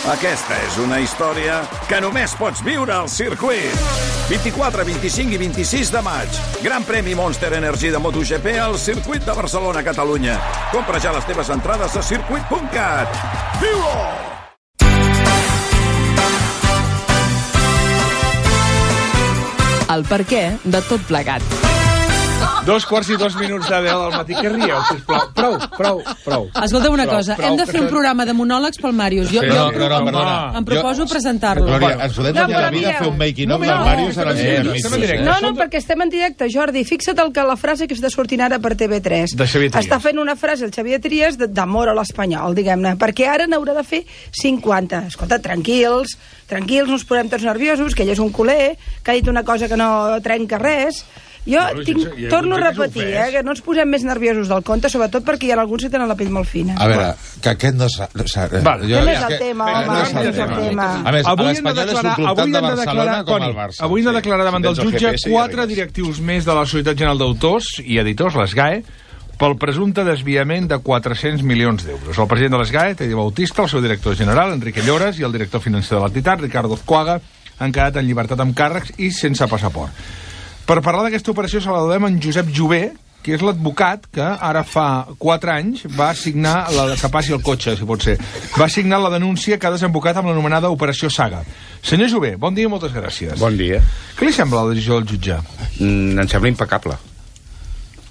Aquesta és una història que només pots viure al circuit. 24, 25 i 26 de maig. Gran premi Monster Energy de MotoGP al circuit de Barcelona, Catalunya. Compra ja les teves entrades a circuit.cat. Viu-ho! El perquè de tot plegat. 2:02 de 10 del matí. Què rieu, sisplau? Prou. Escolta una cosa, hem de fer un programa de monòlegs pel Màrius. Jo em proposo presentar-lo. Glòria, ens podem tenir la vida a fer un making-of del Màrius a la No, perquè estem en directe, Jordi. Fixa't la frase que està sortint ara per TV3. De Xavier Trias. Està fent una frase el Xavier Trias d'amor a l'espanyol, diguem-ne, perquè ara n'haurà de fer 50. Escolta, tranquils, no ens posem tots nerviosos, que ell és un culer, que ha dit una cosa que no trenca res. Jo torno a repetir, que no ens posem més nerviosos del compte, sobretot perquè hi ha alguns que tenen la pell molt fina. A veure, que aquest no és... Que no és el tema, home, no és el tema. A més, l'Espanyol és un club tant de Barcelona com el Barça. Avui han de declarar davant del jutge 4 directius més de la Societat General d'Autors i Editors, les GAE, pel presumpte desviament de 400 milions d'euros. El president de les GAE, Teddy Bautista, el seu director general, Enrique Lloras, i el director financer de l'entitat, Ricardo Azcuaga, han quedat en llibertat amb càrrecs i sense passaport. Per parlar d'aquesta operació saludem en Josep Jové, que és l'advocat que ara fa 4 anys va signar, que passi el cotxe, si pot ser, va signar la denúncia que ha desembocat amb l'anomenada Operació Saga. Senyor Jové, bon dia i moltes gràcies. Bon dia. Què li sembla la decisió del jutge? Em sembla impecable.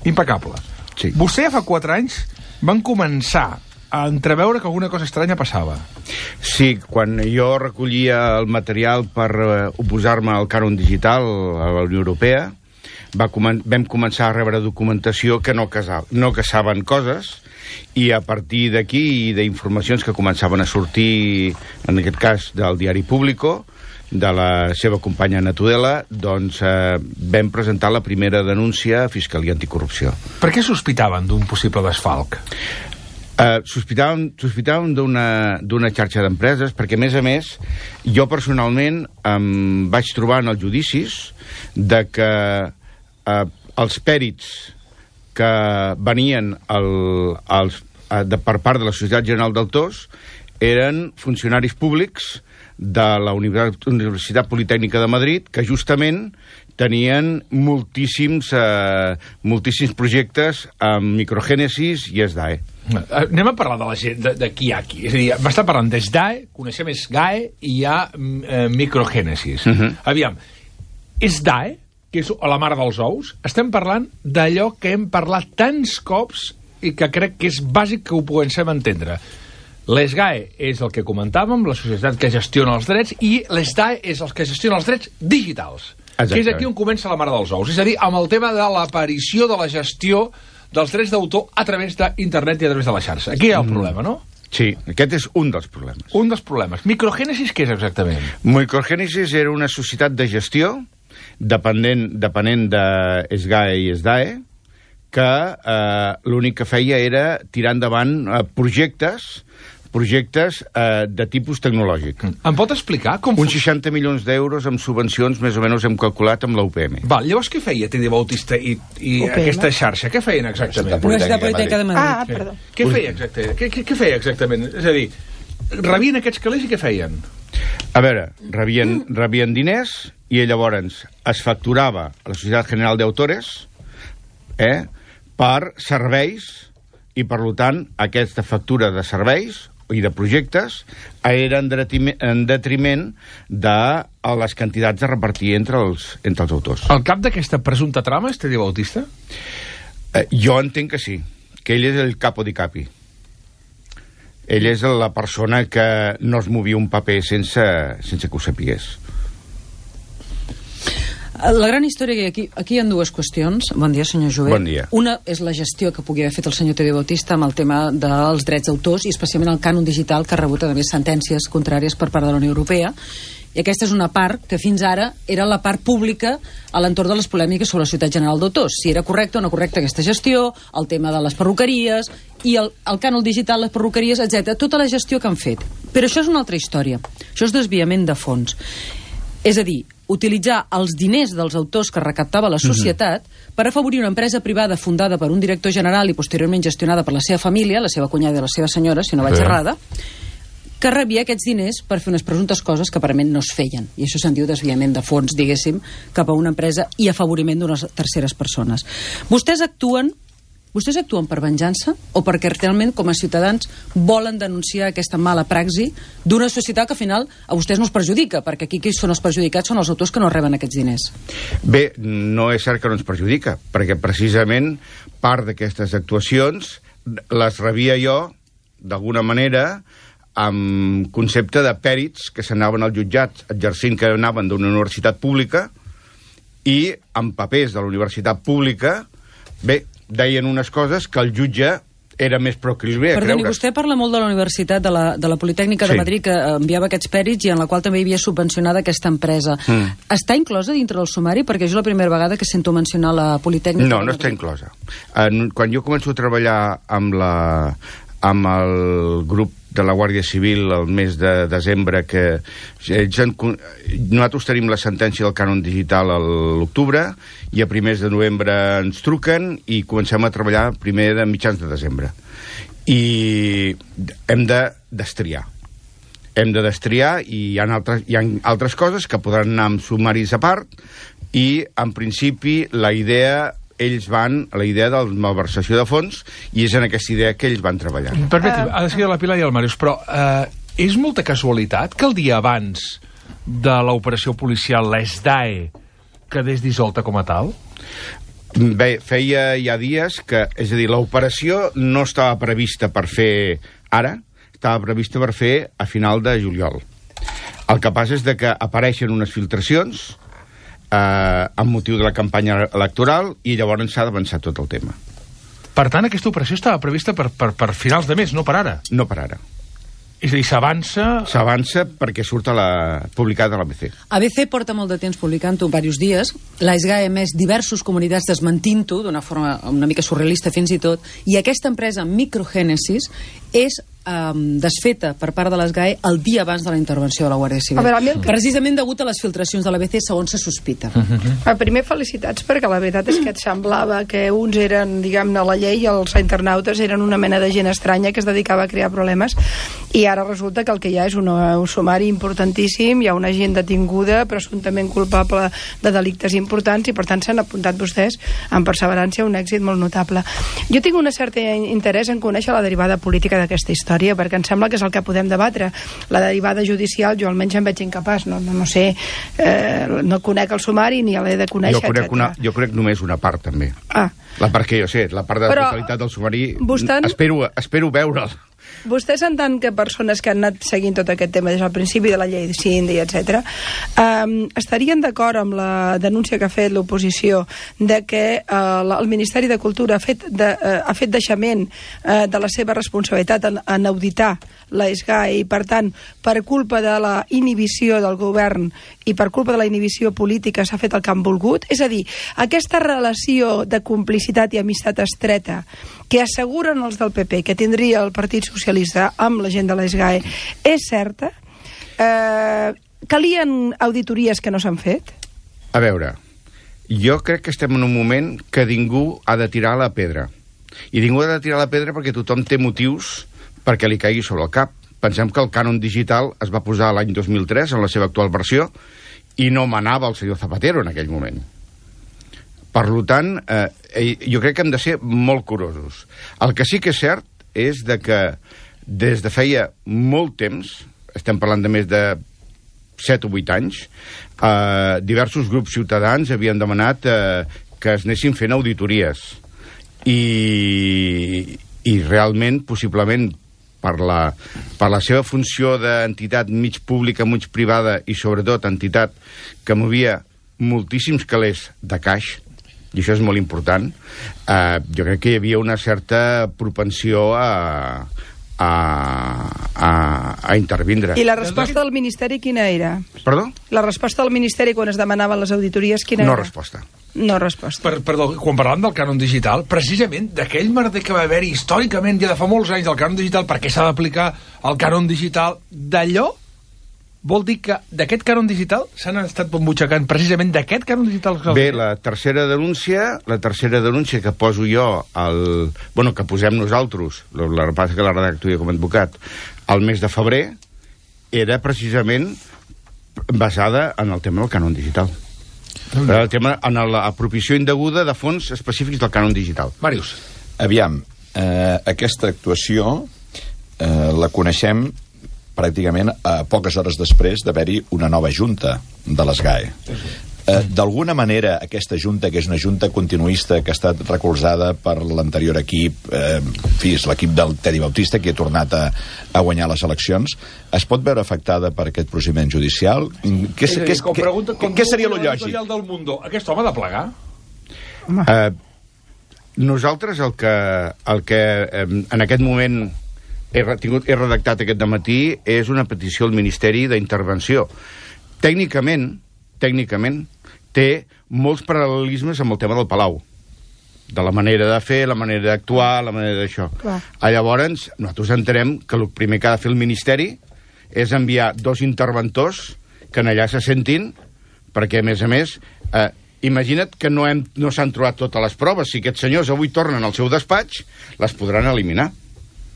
Impecable. Sí. Vostè ja fa 4 anys van començar a entreveure que alguna cosa estranya passava. Sí, quan jo recollia el material per oposar-me al cànon digital a la Unió Europea, vam començar a rebre documentació que no caçaven coses, i a partir d'aquí i d'informacions que començaven a sortir, en aquest cas del diari Público, de la seva companya Ana Tudela, doncs vam presentar la primera denúncia a Fiscalia Anticorrupció. Per què sospitaven d'un possible desfalc? Sospitàvem d'una xarxa d'empreses, perquè, a més, jo personalment em vaig trobar en els judicis de que els pèrits que venien per part de la Societat General d'Autors eren funcionaris públics de la Universitat Politècnica de Madrid, que justament tenien moltíssims projectes amb Microgènesis i SDAE. Anem a parlar de la gent, de qui hi ha aquí. És a dir, m'està parlant d'SDAE, coneixem SGAE i hi ha Microgènesis. Aviam, SDAE, que és la mare dels ous, estem parlant d'allò que hem parlat tants cops i que crec que és bàsic que ho puguem entendre. L'SGAE és el que comentàvem, la societat que gestiona els drets, i l'SDAE és el que gestiona els drets digitals. Exacte. Que és aquí on comença la mare dels ous. És a dir, amb el tema de l'aparició de la gestió dels drets d'autor a través d'internet i a través de la xarxa. Aquí hi ha el problema, no? Sí, aquest és un dels problemes. Un dels problemes. Microgènesis, què és exactament? Microgènesis era una societat de gestió depenent de SGAE i SDAE, que l'únic que feia era tirar endavant projectes de tipus tecnològic. Em pot explicar com... Uns 60 milions d'euros amb subvencions, més o menys hem calculat amb la UPM. Val, llavors què feia Teddy Bautista i aquesta xarxa? Què feien exactament? Universitat Politècnica de Madrid. Perdó. Què feia exactament? Què feia exactament? És a dir, rebien aquests calés i què feien? A veure, rebien diners i llavors es facturava a la Societat General d'Autores per serveis, i per tant aquesta factura de serveis i de projectes era en detriment de les quantitats a repartir entre els autors. El cap d'aquesta presumpta trama és Teddy Bautista? Jo entenc que sí, que ell és el capo di capi. Ell és la persona que no es movia un paper sense que ho sapigués. La gran història que aquí hi ha dues qüestions. Bon dia, senyor Jové. Bon dia. Una és la gestió que pugui haver fet el senyor Teddy Bautista amb el tema dels drets d'autors i especialment el cànon digital, que ha rebut a més sentències contràries per part de la Unió Europea. I aquesta és una part que fins ara era la part pública a l'entorn de les polèmiques sobre la Societat General d'Autors. Si era correcta o no correcta aquesta gestió, el tema de les perruqueries i el cànon digital, les perruqueries, etc. Tota la gestió que han fet. Però això és una altra història. Això és desviament de fons. És a dir, utilitzar els diners dels autors que recaptava la societat per afavorir una empresa privada fundada per un director general i posteriorment gestionada per la seva família, la seva cunyada i la seva senyora, si no vaig errada, que rebia aquests diners per fer unes presumptes coses que aparentment no es feien. I això se'n diu desviament de fons, diguéssim, cap a una empresa i afavoriment d'unes terceres persones. Vostès actuen per venjança o perquè realment, com a ciutadans, volen denunciar aquesta mala praxi d'una societat que al final a vostès no els perjudica, perquè aquí qui són els perjudicats són els autors que no reben aquests diners? Bé, no és cert que no ens perjudica, perquè precisament part d'aquestes actuacions les rebia jo, d'alguna manera, amb concepte de pèrits que s'anaven als jutjats exercint que anaven d'una universitat pública i amb papers de la universitat pública, bé, deien unes coses que el jutge era més proclive a creure's. Perdoni, vostè parla molt de la Universitat, de la Politècnica de Madrid, que enviava aquests pèrits i en la qual també hi havia subvencionada aquesta empresa. Està inclosa dintre del sumari? Perquè jo la primera vegada que sento mencionar la Politècnica... No està inclosa. Quan jo començo a treballar amb el grup de la Guàrdia Civil el mes de desembre, que nosaltres tenim la sentència del cànon digital a l'octubre i a primers de novembre ens truquen i comencem a treballar primer de mitjans de desembre. I hem de destriar. Hem de destriar i hi ha altres coses que podran anar amb sumaris a part i, en principi, ells van a la idea de la malversació de fons i és en aquesta idea que ells van treballar. Permeti'm, ha de ser la Pilar i el Màrius, però és molta casualitat que el dia abans de l'operació policial l'ESDAE quedés dissolta com a tal? Bé, feia ja dies que, és a dir, l'operació no estava prevista per fer ara, estava prevista per fer a final de juliol. El que passa és que apareixen unes filtracions amb motiu de la campanya electoral i llavors s'ha d'avançar tot el tema. Per tant, aquesta operació estava prevista per finals de mes, no per ara? No per ara. És a dir, s'avança... S'avança perquè surt publicat a l'ABC. ABC porta molt de temps publicant-ho, diversos dies. La SGAE ha emès diversos comunicats desmentint-ho d'una forma una mica surrealista fins i tot, i aquesta empresa Microgènesis és desfeta per part de l'ESGAE el dia abans de la intervenció de la Guàrdia Civil. Precisament degut a les filtracions de l'ABC, segons se sospita. Primer, felicitats, perquè la veritat és que et semblava que uns eren, diguem-ne, la llei i els internautes eren una mena de gent estranya que es dedicava a crear problemes, i ara resulta que el que hi ha és un sumari importantíssim, hi ha una gent detinguda presumptament culpable de delictes importants, i per tant s'han apuntat vostès amb perseverança un èxit molt notable. Jo tinc un cert interès en conèixer la derivada política d'aquesta història, perquè em sembla que és el que podem debatre. La derivada judicial jo almenys em veig incapaç, no sé, no conec el sumari ni l'he de conèixer. Jo conec només una part, també. La part que jo sé, la part de la totalitat del sumari, espero veure'l. Vostès, en tant que persones que han anat seguint tot aquest tema des del principi de la llei de Síndic, etc., estarien d'acord amb la denúncia que ha fet l'oposició de que el Ministeri de Cultura ha fet deixament de la seva responsabilitat en auditar la SGAE, i per tant, per culpa de la inhibició del govern i per culpa de la inhibició política s'ha fet el que han volgut? És a dir, aquesta relació de complicitat i amistat estreta que asseguren els del PP que tindria el Partit Socialista amb la gent de la SGAE és certa? Calien auditories que no s'han fet? A veure, jo crec que estem en un moment que ningú ha de tirar la pedra. I ningú ha de tirar la pedra perquè tothom té motius perquè li caigui sobre el cap. Pensem que el cànon digital es va posar l'any 2003 en la seva actual versió i no manava el senyor Zapatero en aquell moment. Per tant, jo crec que hem de ser molt curosos. El que sí que és cert és que des de feia molt temps, estem parlant de més de 7 o 8 anys, diversos grups ciutadans havien demanat que es anessin fent auditories. I realment, possiblement, per la seva funció d'entitat mig pública, mig privada i sobretot entitat que movia moltíssims calés de caix, i això és molt important, jo crec que hi havia una certa propensió a intervindre. I la resposta del Ministeri quina era? Perdó? La resposta del Ministeri quan es demanaven les auditories quina era? No resposta. No resposta. Perdó, quan parlàvem del cànon digital, precisament d'aquell merder que va haver-hi històricament ja de fa molts anys del cànon digital, perquè s'ha d'aplicar el cànon digital, d'allò vol dir que d'aquest cànon digital s'han estat bombutxacant precisament d'aquest cànon digital. Bé, la tercera denúncia que poso jo, que posem nosaltres, la repassa que la redacto jo com a advocat, al mes de febrer, era precisament basada en el tema del cànon digital. El tema en l'apropiació indeguda de fons específics del cànon digital. Màrius. Aviam, aquesta actuació la coneixem pràcticament a poques hores després d'haver-hi una nova junta de les GAE. D'alguna manera, aquesta junta, que és una junta continuista que ha estat recolzada per l'anterior equip, és l'equip del Tedi Bautista, que ha tornat a guanyar les eleccions, es pot veure afectada per aquest procediment judicial? Què seria lo lògic? Aquest home ha de plegar? Nosaltres el que en aquest moment he redactat aquest dematí és una petició al Ministeri d'Intervenció. Tècnicament, té molts paral·lelismes amb el tema del Palau. De la manera de fer, la manera d'actuar, la manera d'això. Llavors, nosaltres entenem que el primer que ha de fer el Ministeri és enviar 2 interventors que en allà se sentin, perquè, a més, imagina't que no s'han trobat totes les proves. Si aquests senyors avui tornen al seu despatx, les podran eliminar.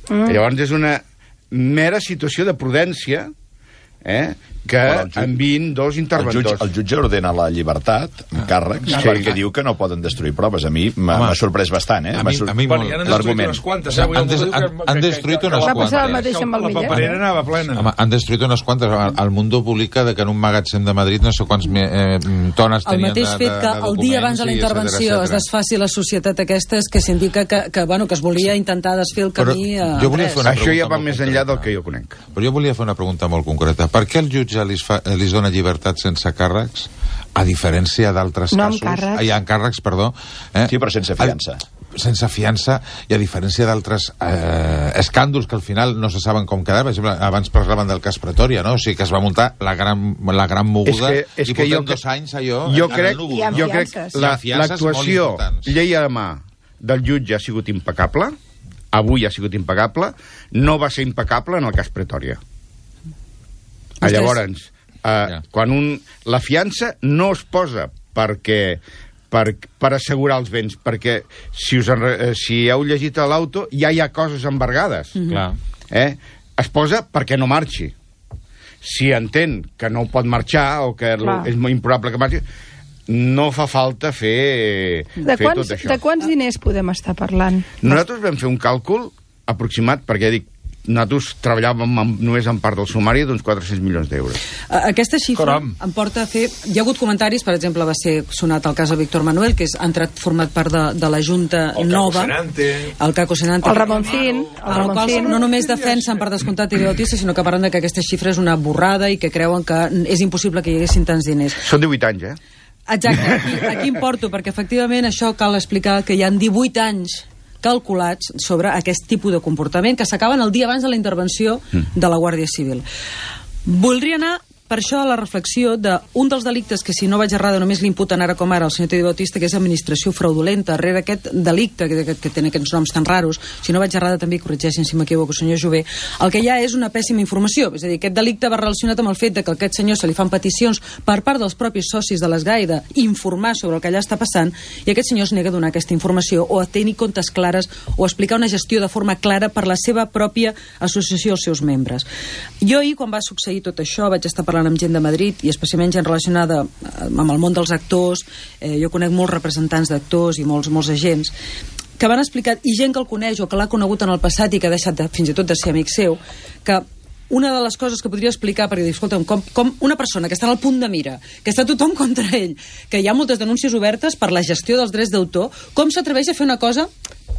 Llavors és una mera situació de prudència que enviïn 2 interventors. El jutge ordena la llibertat amb càrrecs perquè diu que no poden destruir proves. A mi m'ha sorprès bastant, l'argument. Han destruït unes quantes. La paperera anava plena. Han destruït unes quantes. El Mundo publica que en un magatzem de Madrid no sé quants tones tenien de documents. El mateix fet que el dia abans de la intervenció es desfaci la societat aquesta és que s'indica que es volia intentar desfer el camí a res. Això ja va més enllà del que jo conec. Però jo volia fer una pregunta molt concreta. Per què el jutge li dona llibertat sense càrrecs, a diferència d'altres casos? No amb càrrecs. Hi ha càrrecs, perdó. Sí, però sense fiança. Sense fiança, i a diferència d'altres escàndols que al final no se saben com quedar. Per exemple, abans parlaven del cas Pretòria, no? O sigui que es va muntar la gran moguda i portem 2 anys allò... Jo crec l'actuació llei a la mà del jutge ha sigut impecable, avui ha sigut impecable, no va ser impecable en el cas Pretòria. Llavors, quan la fiança no es posa per assegurar els béns, perquè si heu llegit a l'auto ja hi ha coses embargades. Es posa perquè no marxi. Si entén que no pot marxar o que és molt improbable que marxi, no fa falta fer tot això. De quants diners podem estar parlant? Nosaltres vam fer un càlcul aproximat, perquè dic, nosaltres treballàvem només en part del sumari d'uns 400 milions d'euros. Aquesta xifra em porta a fer... Hi ha hagut comentaris, per exemple, va ser sonat el cas de Víctor Manuel, que ha entrat format part de la Junta nova. El Caco Senante. El Ramoncín. El qual no només defensen per descomptat Tedi Bautista, sinó que parlen de que aquesta xifra és una borrada i que creuen que és impossible que hi haguessin tants diners. Són 18 anys, Exacte. Aquí em porto, perquè efectivament això cal explicar que hi ha 18 anys calculats sobre aquest tipus de comportament que s'acaben el dia abans de la intervenció de la Guàrdia Civil. Voldria anar per això a la reflexió d'un dels delictes que, si no vaig errada, només l'imputen ara com ara el senyor Tedi Bautista, que és administració fraudulenta. Darrere aquest delicte, que té aquests noms tan raros, si no vaig errada també, corregeixin si m'equivoco, senyor Jové, el que hi ha és una pèssima informació. És a dir, aquest delicte va relacionat amb el fet que a aquest senyor se li fan peticions per part dels propis socis de les GAE d'informar sobre el que allà està passant, i aquest senyor es nega a donar aquesta informació o a tenir comptes clares o a explicar una gestió de forma clara per la seva pròpia associació als seus membres. Jo ahir, quan va succeir tot això, vaig estar parlant amb gent de Madrid i especialment gent relacionada amb el món dels actors. Jo conec molts representants d'actors i molts agents que van explicar, i gent que el coneix o que l'ha conegut en el passat i que ha deixat fins i tot de ser amic seu, que una de les coses que podria explicar, perquè dic, escolta'm, com una persona que està al punt de mira, que està tothom contra ell, que hi ha moltes denúncies obertes per la gestió dels drets d'autor, com s'atreveix a fer una cosa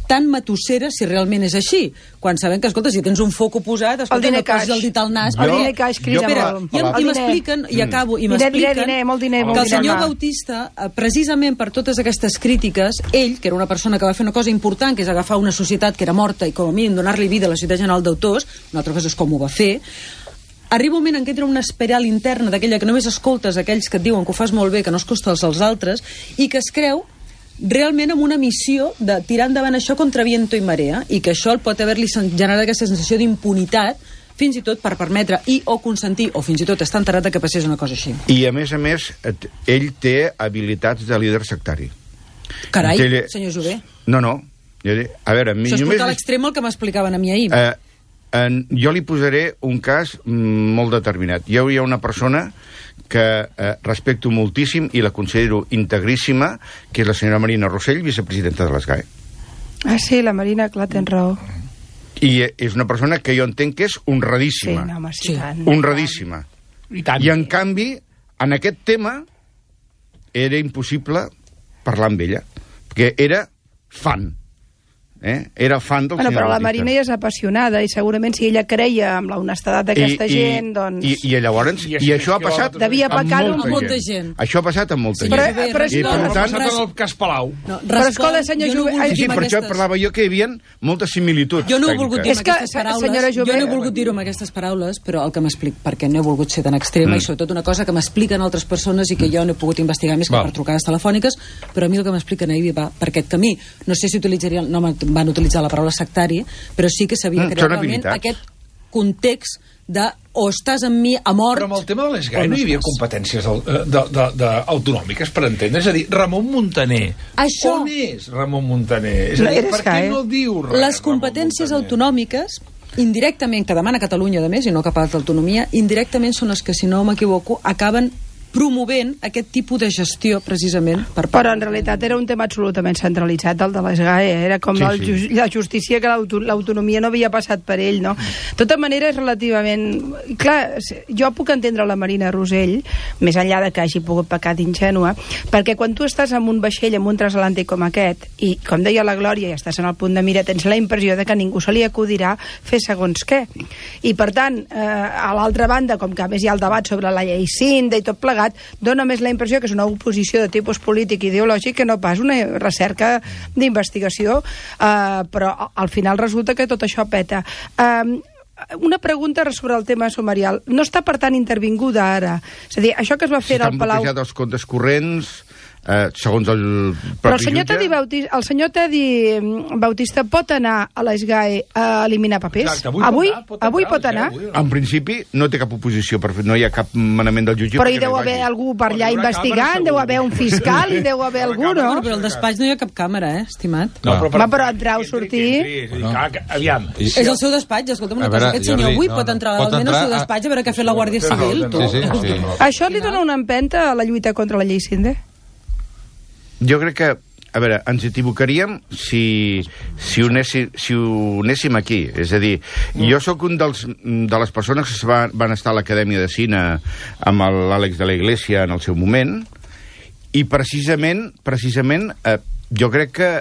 tan matossera si realment és així? Quan sabem que, escolta, si tens un foc posat, escolta, no posis el dit al nas. El diner caix crida molt. I m'expliquen, i acabo, i m'expliquen que el senyor Bautista, precisament per totes aquestes crítiques, ell, que era una persona que va fer una cosa important, que és agafar una societat que era morta i com a mínim donar-li vida a la Societat General d'Autors, una altra cosa és com ho va fer, arriba un moment en què entra una espiral interna d'aquella que només escoltes aquells que et diuen que ho fas molt bé, que no es costa als altres, i que es creu realment amb una missió de tirar endavant això contra viento i marea, i que això el pot haver-li generat aquesta sensació d'impunitat, fins i tot per permetre o consentir, o fins i tot estar enterat que passés una cosa així. I a més, ell té habilitats de líder sectari. Carai, senyor Jové. No. A veure, això és portar a l'extrem el que m'explicaven a mi ahir. Jo li posaré un cas molt determinat. Hi ha una persona que respecto moltíssim i la considero integríssima, que és la senyora Marina Rossell, vicepresidenta de l'ESGAE. Ah, sí, la Marina, clar, tens raó. I és una persona que jo entenc que és honradíssima. Sí, no, home, sí. Honradíssima. I en canvi, en aquest tema, era impossible parlar amb ella, perquè era fan. Era fan del senyor però la Bautista. Marina ja és apassionada i segurament si ella creia amb la honestedat d'aquesta gent, doncs... I llavors... I això ha passat devia pecar amb molta gent. Això ha passat amb molta gent. Però ha passat en el cas Palau. Però escolta, senyor Jové... Sí, per això parlava jo que hi havia moltes similituds. Jo no he volgut dir amb aquestes paraules, jo no he volgut dir-ho amb aquestes paraules, però el que m'explic, perquè no he volgut ser tan extrema, i sobretot una cosa que m'expliquen altres persones i que jo no he pogut investigar més que per trucades telefòniques, però a mi el que m'expliquen ahir va per aquest camí. No sé si utilitzaria... No van utilitzar la paraula sectari, però sí que sabia crear realment aquest context de o estàs amb mi a mort... Però amb el tema de l'ESGAE no hi havia competències autonòmiques, per entendre? És a dir, Ramon Muntaner. On és Ramon Muntaner? És a dir, per què no diu res? Les competències autonòmiques, indirectament, que demana Catalunya, a més, i no cap altra autonomia, indirectament són les que, si no m'equivoco, acaben promovent aquest tipus de gestió, precisament, per part... Però en realitat era un tema absolutament centralitzat, el de l'ESGAE. Era com la justícia, que l'autonomia no havia passat per ell, no? De tota manera, és relativament... Clar, jo puc entendre la Marina Rossell, més enllà de que hagi pogut pecar d'ingènua, perquè quan tu estàs en un vaixell, en un transatlàntic com aquest, i, com deia la Glòria, i estàs en el punt de mira, tens la impressió de que ningú se li acudirà fer segons què. I, per tant, a l'altra banda, com que a més hi ha el debat sobre la llei Cinda i tot plegat, dona més la impressió que és una oposició de tipus polític i ideològic que no pas una recerca d'investigació, però al final resulta que tot això peta. Una pregunta sobre el tema sumarial. No està, per tant, intervinguda ara. És a dir, això que es va fer al Palau... S'estan bloquejats els comptes corrents, segons el però el senyor Tedi Bautista pot anar a l'ESGAE a eliminar papers? Exacte, avui pot anar? En principi no té cap oposició, no hi ha cap manament del jutge. Però hi deu haver algú per allà investigant, deu haver un fiscal, hi deu haver algú, no? Però al despatx no hi ha cap càmera, estimat? Però entrar o sortir... Aviam. És el seu despatx, escolta'm una cosa, aquest senyor avui pot entrar legalment al seu despatx a veure què ha fet la Guàrdia Civil. Això li dona una empenta a la lluita contra la llei Cinda? Jo crec que, a veure, ens equivocaríem si ho anéssim aquí. És a dir, jo sóc un de les persones que van estar a l'Acadèmia de Cine amb l'Àlex de la Iglesia en el seu moment, i precisament jo crec que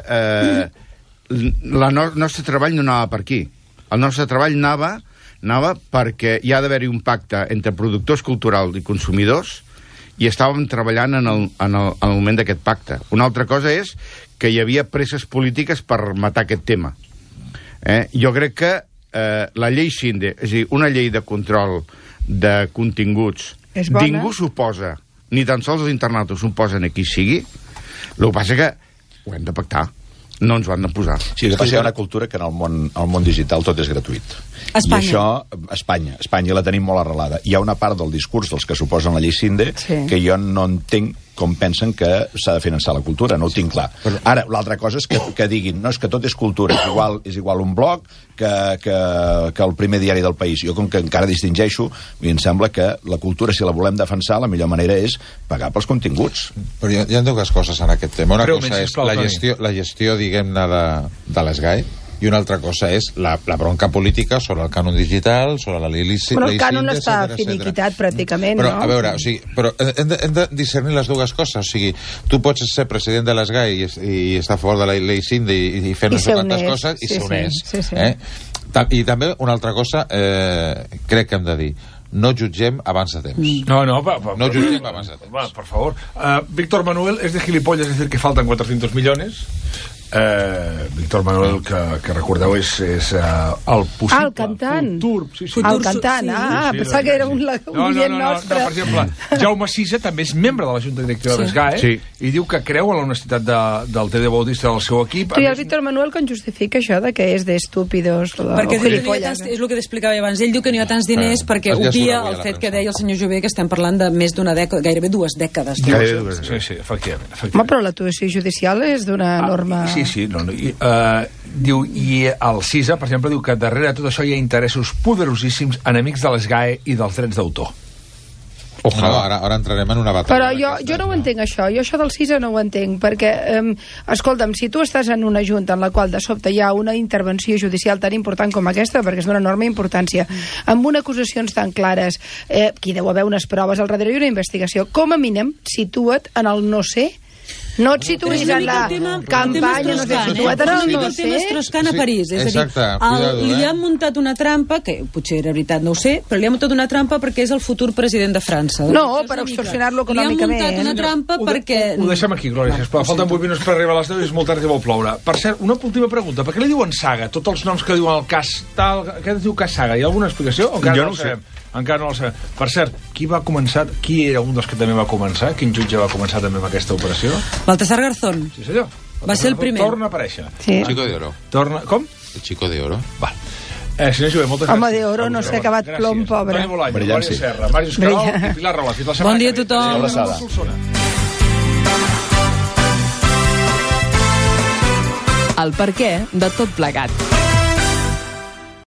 el nostre treball no anava per aquí. El nostre treball anava perquè hi ha d'haver-hi un pacte entre productors culturals i consumidors, i estàvem treballant en el moment d'aquest pacte. Una altra cosa és que hi havia presses polítiques per matar aquest tema. Jo crec que la llei Cinda, és a dir, una llei de control de continguts, ningú s'oposa, ni tan sols els internautes s'oposen a qui sigui. El que passa que ho hem de pactar. No ens ho han de posar. Sí, el que passa, hi ha una cultura que en el món digital tot és gratuït. Espanya. I això, Espanya la tenim molt arrelada. Hi ha una part del discurs dels que suposen la llei Cinda que jo no entenc com pensen que s'ha de finançar la cultura, no ho tinc clar. Ara, l'altra cosa és que diguin, no, és que tot és cultura, és igual un blog que el primer diari del país. Jo, com que encara distingeixo, em sembla que la cultura, si la volem defensar, la millor manera és pagar pels continguts. Però hi ha dues coses en aquest tema. Una cosa és la gestió, diguem-ne, de l'ESGAE, i una altra cosa és la bronca política sobre el cànon digital, sobre la llei Cinda... Però el cànon està finiquitat, pràcticament, però, no? A veure, o sigui, però hem de discernir les dues coses. O sigui, tu pots ser president de l'ESGAE i estar a favor de la llei Cinda i fer no sé quantes coses, i ser honest. I també una altra cosa, crec que hem de dir, no jutgem abans de temps. No jutgem abans de temps. Va, por favor. Víctor Manuel es de gilipollas decir que faltan 400 millones. Víctor Manuel, que recordeu, és el possible el cantant. Futur. El cantant, pensava que era un oient nostre. No, per exemple, Jaume Sisa també és membre de la Junta Directiva de l'ESGAE i diu que creu en l'honestitat del TD Bautista del seu equip. I el Víctor Manuel com justifica això de que és d'estúpidos perquè és el que t'explicava abans. Ell diu que no hi ha tants diners perquè obvia el fet que deia el senyor Jové, que estem parlant de més d'una dècada, gairebé 2 dècades. Sí, efectivament. Home, però l'actuació judicial és d'una norma... Sí, Diu, i el CISA, per exemple, diu que darrere de tot això hi ha interessos poderosíssims, enemics de les GAE i dels drets d'autor. Ojalà. Ara entrarem en una batalla. Però jo no ho entenc, això. Jo això del CISA no ho entenc, perquè, escolta'm, si tu estàs en una junta en la qual de sobte hi ha una intervenció judicial tan important com aquesta, perquè és d'una enorme importància, amb unes acusacions tan clares, aquí deu haver unes proves al darrere i una investigació, com a mínim, situa't en el no sé. No et situïs en la campanya, no sé, situa't en el no sé. El tema Strauss-Kahn a París. És a dir, li han muntat una trampa, que potser era veritat, no ho sé, però li han muntat una trampa perquè és el futur president de França. No, per extorsionar-lo econòmicament. Li han muntat una trampa perquè... Ho deixem aquí, Glòria, sisplau. Falten 8 minuts per arribar a les 10 i és molt tard i vol ploure. Per cert, una última pregunta. Per què li diuen saga? Tots els noms que diuen el cas tal... Què es diu cas saga? Hi ha alguna explicació? Jo no ho sé. Encara no el sabem. Per cert, qui era un dels que també va començar? Quin jutge va començar també amb aquesta operació? Baltasar Garzón. Sí, senyor. Va ser el primer. Torna a aparèixer. Sí. El Chico de Oro. Com? El Chico de Oro. Va. Senyor Jové, moltes gràcies. Home de oro, no sé, acabat plom, pobre. Toni Bolaño, Glòria Serra, Màrius Cabal i Pilar Rola. Fins la setmana. Bon dia a tothom. El perquè de tot plegat.